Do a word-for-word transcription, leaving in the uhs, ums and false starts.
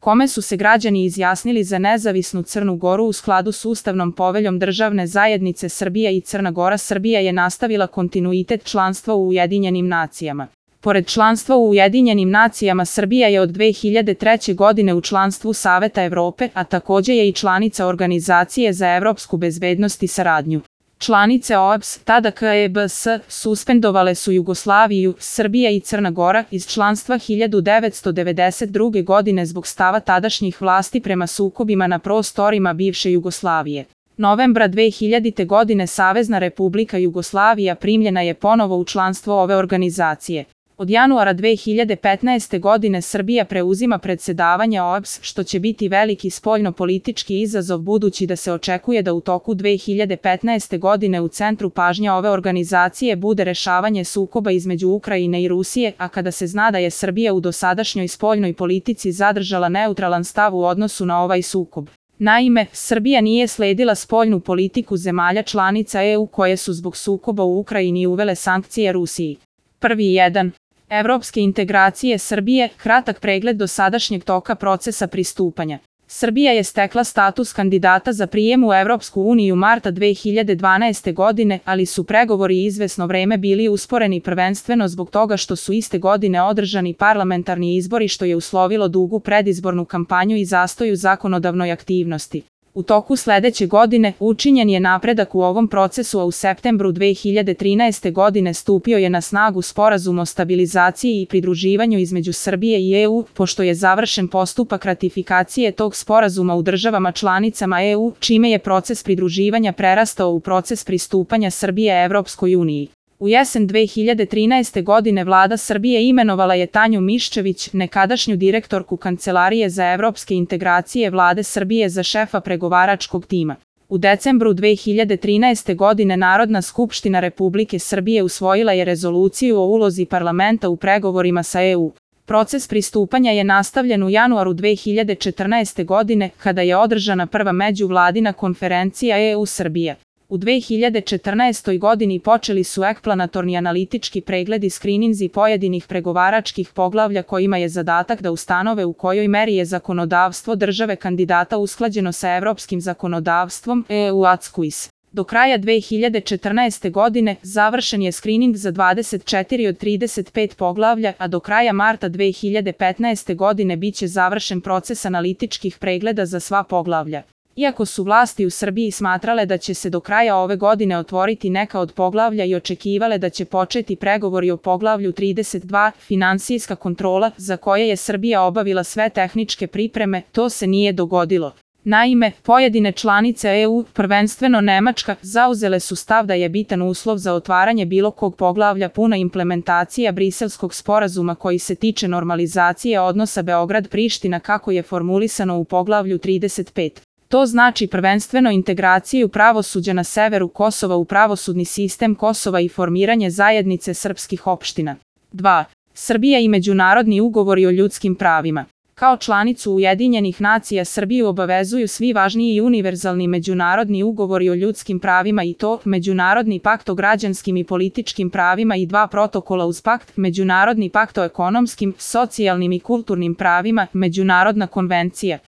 kome su se građani izjasnili za nezavisnu Crnu Goru u skladu s Ustavnom poveljom Državne zajednice Srbija i Crna Gora. Srbija je nastavila kontinuitet članstva u Ujedinjenim nacijama. Pored članstva u Ujedinjenim nacijama, Srbija je od dve hiljade treće. godine u članstvu Saveta Evrope, a takođe je i članica Organizacije za evropsku bezbednost i saradnju. Članice O E B S, tada K E B S, suspendovale su Jugoslaviju, Srbija i Crna Gora iz članstva hiljadu devetsto devedeset druge. godine zbog stava tadašnjih vlasti prema sukobima na prostorima bivše Jugoslavije. Novembra dve hiljadite. godine Savezna Republika Jugoslavija primljena je ponovo u članstvo ove organizacije. Od januara dve hiljade petnaeste. godine Srbija preuzima predsedavanje O E B S, što će biti veliki spoljno-politički izazov budući da se očekuje da u toku dve hiljade petnaeste. godine u centru pažnje ove organizacije bude rešavanje sukoba između Ukrajine i Rusije, a kada se zna da je Srbija u dosadašnjoj spoljnoj politici zadržala neutralan stav u odnosu na ovaj sukob. Naime, Srbija nije sledila spoljnu politiku zemalja članica E U koje su zbog sukoba u Ukrajini uvele sankcije Rusiji. Prvi jedan. Evropske integracije Srbije, kratak pregled dosadašnjeg toka procesa pristupanja. Srbija je stekla status kandidata za prijem u Evropsku uniju marta dve hiljade dvanaeste. godine, ali su pregovori izvesno vreme bili usporeni prvenstveno zbog toga što su iste godine održani parlamentarni izbori, što je uslovilo dugu predizbornu kampanju i zastoj u zakonodavnoj aktivnosti. U toku sledeće godine učinjen je napredak u ovom procesu, a u septembru dve hiljade trinaeste. godine stupio je na snagu Sporazum o stabilizaciji i pridruživanju između Srbije i E U, pošto je završen postupak ratifikacije tog sporazuma u državama članicama E U, čime je proces pridruživanja prerastao u proces pristupanja Srbije Evropskoj uniji. U jesen dve hiljade trinaeste. godine vlada Srbije imenovala je Tanju Miščević, nekadašnju direktorku Kancelarije za evropske integracije vlade Srbije, za šefa pregovaračkog tima. U decembru dve hiljade trinaeste. godine Narodna skupština Republike Srbije usvojila je rezoluciju o ulozi parlamenta u pregovorima sa E U. Proces pristupanja je nastavljen u januaru dve hiljade četrnaeste. godine, kada je održana prva međuvladina konferencija E U Srbija. U dve hiljade četrnaestoj. godini počeli su eksplanatorni analitički pregledi skrininzi pojedinih pregovaračkih poglavlja kojima je zadatak da ustanove u kojoj meri je zakonodavstvo države kandidata usklađeno sa evropskim zakonodavstvom E U A C Q U I S. Do kraja dve hiljade četrnaeste. godine završen je skrining za dvadeset četiri od trideset pet poglavlja, a do kraja marta dve hiljade petnaeste. godine biće završen proces analitičkih pregleda za sva poglavlja. Iako su vlasti u Srbiji smatrale da će se do kraja ove godine otvoriti neka od poglavlja i očekivale da će početi pregovori o poglavlju trideset dva, finansijska kontrola, za koje je Srbija obavila sve tehničke pripreme, to se nije dogodilo. Naime, pojedine članice E U, prvenstveno Nemačka, zauzele su stav da je bitan uslov za otvaranje bilo kog poglavlja puna implementacija Briselskog sporazuma koji se tiče normalizacije odnosa Beograd-Priština kako je formulisano u poglavlju trideset pet. To znači prvenstveno integraciju pravosuđa na severu Kosova u pravosudni sistem Kosova i formiranje zajednice srpskih opština. dva. Srbija i međunarodni ugovori o ljudskim pravima. Kao članicu Ujedinjenih nacija Srbiju obavezuju svi važniji i univerzalni međunarodni ugovori o ljudskim pravima, i to Međunarodni pakt o građanskim i političkim pravima i dva protokola uz pakt, Međunarodni pakt o ekonomskim, socijalnim i kulturnim pravima, Međunarodna konvencija